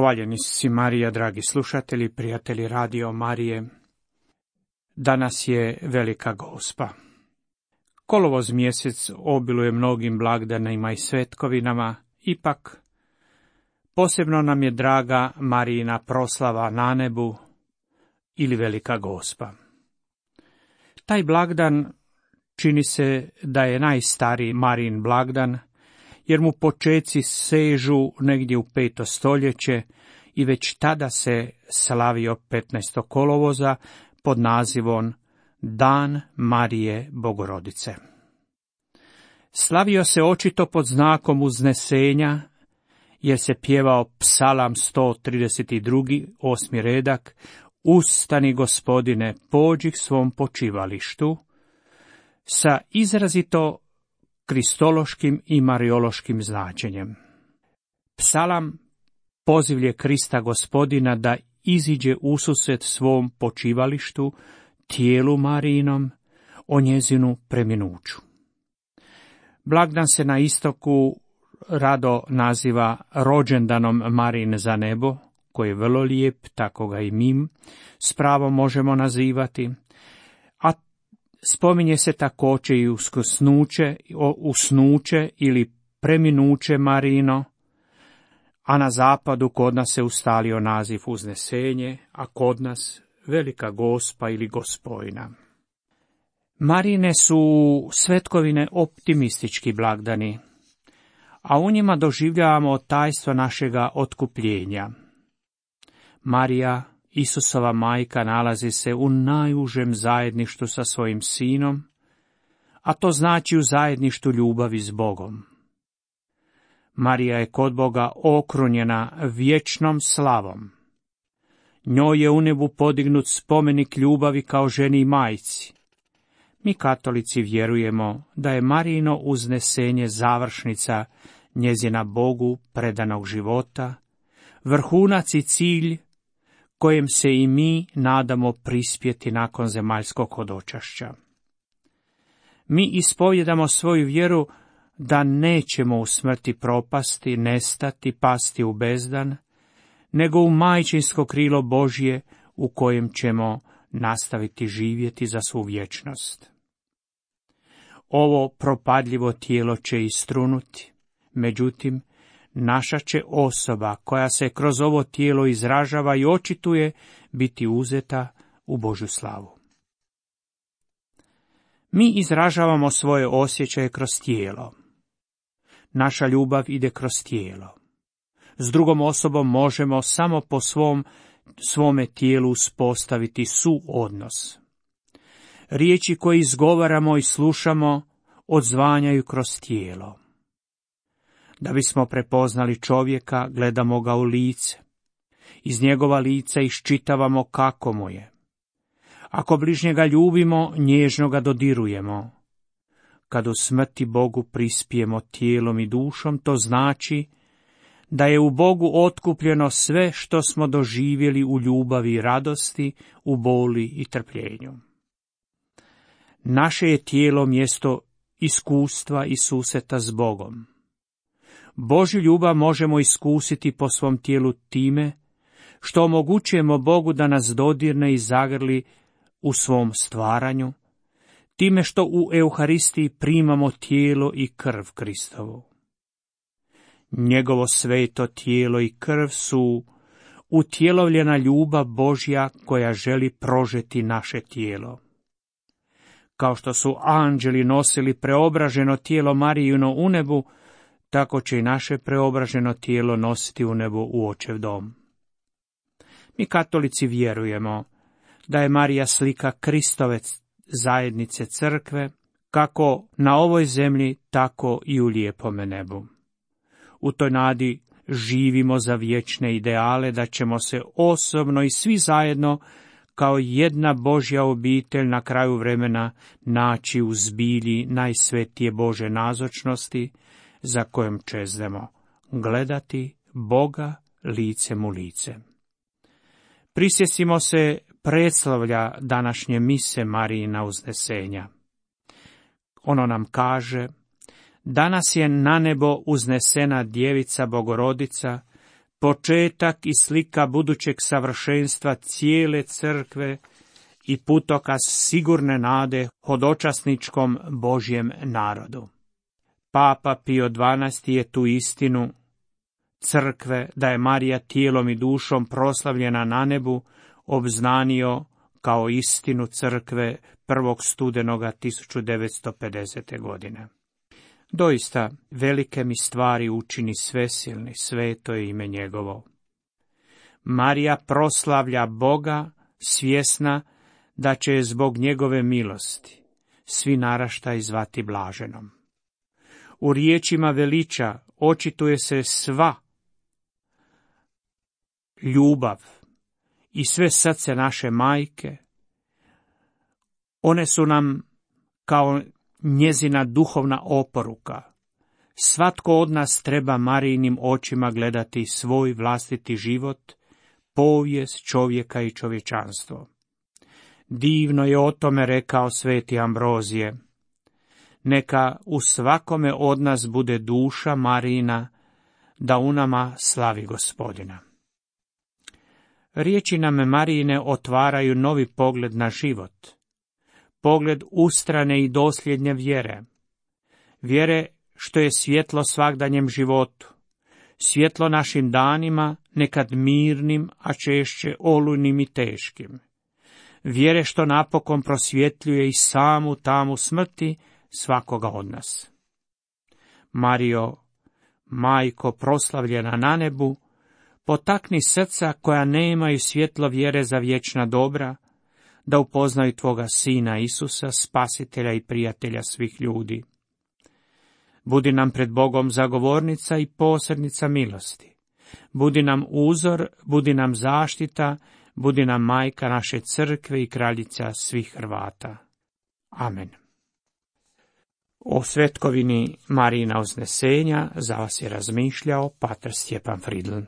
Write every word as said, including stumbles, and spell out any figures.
Hvaljeni si Marija, dragi slušatelji, prijatelji Radio Marije. Danas je Velika Gospa. Kolovoz mjesec obiluje mnogim blagdanima i svetkovinama, ipak posebno nam je draga Marijina proslava na nebu ili Velika Gospa. Taj blagdan čini se da je najstariji Marijin blagdan, jer mu počeci sežu negdje u peto stoljeće i već tada se slavio petnaestog kolovoza pod nazivom Dan Marije Bogorodice. Slavio se očito pod znakom uznesenja, jer se pjevao psalam sto trideset dva, osmi redak, Ustani, Gospodine, pođi k svom počivalištu, sa izrazito kristološkim i mariološkim značenjem. Psalam pozivlje Krista Gospodina da iziđe ususret svom počivalištu, tijelu Marijinom, o njezinu preminuću. Blagdan se na istoku rado naziva rođendanom Marijine za nebo, koji je vrlo lijep, tako ga i mi s pravom možemo nazivati, a spominje se također i uskrsnuće, usnuće ili preminuće Marijino, a na zapadu kod nas se ustalio naziv uznesenje, a kod nas Velika Gospa ili Gospojna. Marijine su svetkovine optimistički blagdani, a u njima doživljavamo tajstvo našega otkupljenja. Marija, Isusova majka, nalazi se u najužem zajedništvu sa svojim sinom, a to znači u zajedništvu ljubavi s Bogom. Marija je kod Boga okrunjena vječnom slavom. Njoj je u nebu podignut spomenik ljubavi kao ženi i majci. Mi katolici vjerujemo da je Marijino uznesenje završnica njezina Bogu predanog života, vrhunac i cilj kojem se i mi nadamo prispjeti nakon zemaljskog hodočašća. Mi ispovjedamo svoju vjeru da nećemo u smrti propasti, nestati, pasti u bezdan, nego u majčinsko krilo Božje u kojem ćemo nastaviti živjeti za svu vječnost. Ovo propadljivo tijelo će istrunuti, međutim, naša će osoba koja se kroz ovo tijelo izražava i očituje biti uzeta u Božju slavu. Mi izražavamo svoje osjećaje kroz tijelo. Naša ljubav ide kroz tijelo. S drugom osobom možemo samo po svom, svome tijelu uspostaviti suodnos. Riječi koje izgovaramo i slušamo odzvanjaju kroz tijelo. Da bismo prepoznali čovjeka, gledamo ga u lice. Iz njegova lica iščitavamo kako mu je. Ako bližnjega ljubimo, nježno ga dodirujemo. Kad u smrti Bogu prispijemo tijelom i dušom, to znači da je u Bogu otkupljeno sve što smo doživjeli u ljubavi i radosti, u boli i trpljenju. Naše je tijelo mjesto iskustva i susreta s Bogom. Božju ljubav možemo iskusiti po svom tijelu time što omogućujemo Bogu da nas dodirne i zagrli u svom stvaranju, time što u Euharistiji primamo tijelo i krv Kristovu. Njegovo sveto tijelo i krv su utjelovljena ljubav Božja koja želi prožeti naše tijelo. Kao što su anđeli nosili preobraženo tijelo Marijino u nebu, tako će i naše preobraženo tijelo nositi u nebo u Očev dom. Mi katolici vjerujemo da je Marija slika Kristove zajednice crkve, kako na ovoj zemlji, tako i u lijepome nebu. U toj nadi živimo za vječne ideale da ćemo se osobno i svi zajedno kao jedna Božja obitelj na kraju vremena naći u zbilji najsvetije Bože nazočnosti, za kojom čeznemo gledati Boga licem u lice. Prisjetimo se predslavlja današnje mise Marijina uznesenja. Ono nam kaže: danas je na nebo uznesena djevica Bogorodica, početak i slika budućeg savršenstva cijele crkve i putokaz sigurne nade hodočasničkom Božjem narodu. Papa Pio dvanaesti je tu istinu crkve, da je Marija tijelom i dušom proslavljena na nebu, obznanio kao istinu crkve prvog studenoga tisuću devetsto pedesete. godine. Doista, velike mi stvari učini svesilni, sveto je ime njegovo. Marija proslavlja Boga, svjesna da će je zbog njegove milosti svi naraštaji zvati blaženom. U riječima veliča očituje se sva ljubav i sve srce naše majke. One su nam kao njezina duhovna oporuka. Svatko od nas treba Marijinim očima gledati svoj vlastiti život, povijest čovjeka i čovječanstvo. Divno je o tome rekao sveti Ambrozije. Neka u svakome od nas bude duša Marijina, da u nama slavi Gospodina. Riječi nam Marijine otvaraju novi pogled na život, pogled ustrane i dosljednje vjere, vjere što je svjetlo svagdanjem životu, svjetlo našim danima, nekad mirnim, a češće olujnim i teškim, vjere što napokon prosvjetljuje i samu tamu smrti svakoga od nas. Marijo, majko proslavljena na nebu, potakni srca koja nemaju svjetlo vjere za vječna dobra, da upoznaju tvoga Sina Isusa, spasitelja i prijatelja svih ljudi. Budi nam pred Bogom zagovornica i posrednica milosti. Budi nam uzor, budi nam zaštita, budi nam majka naše crkve i kraljica svih Hrvata. Amen. O svetkovini Marijina uznesenja za vas je razmišljao pater Stjepan Fridl.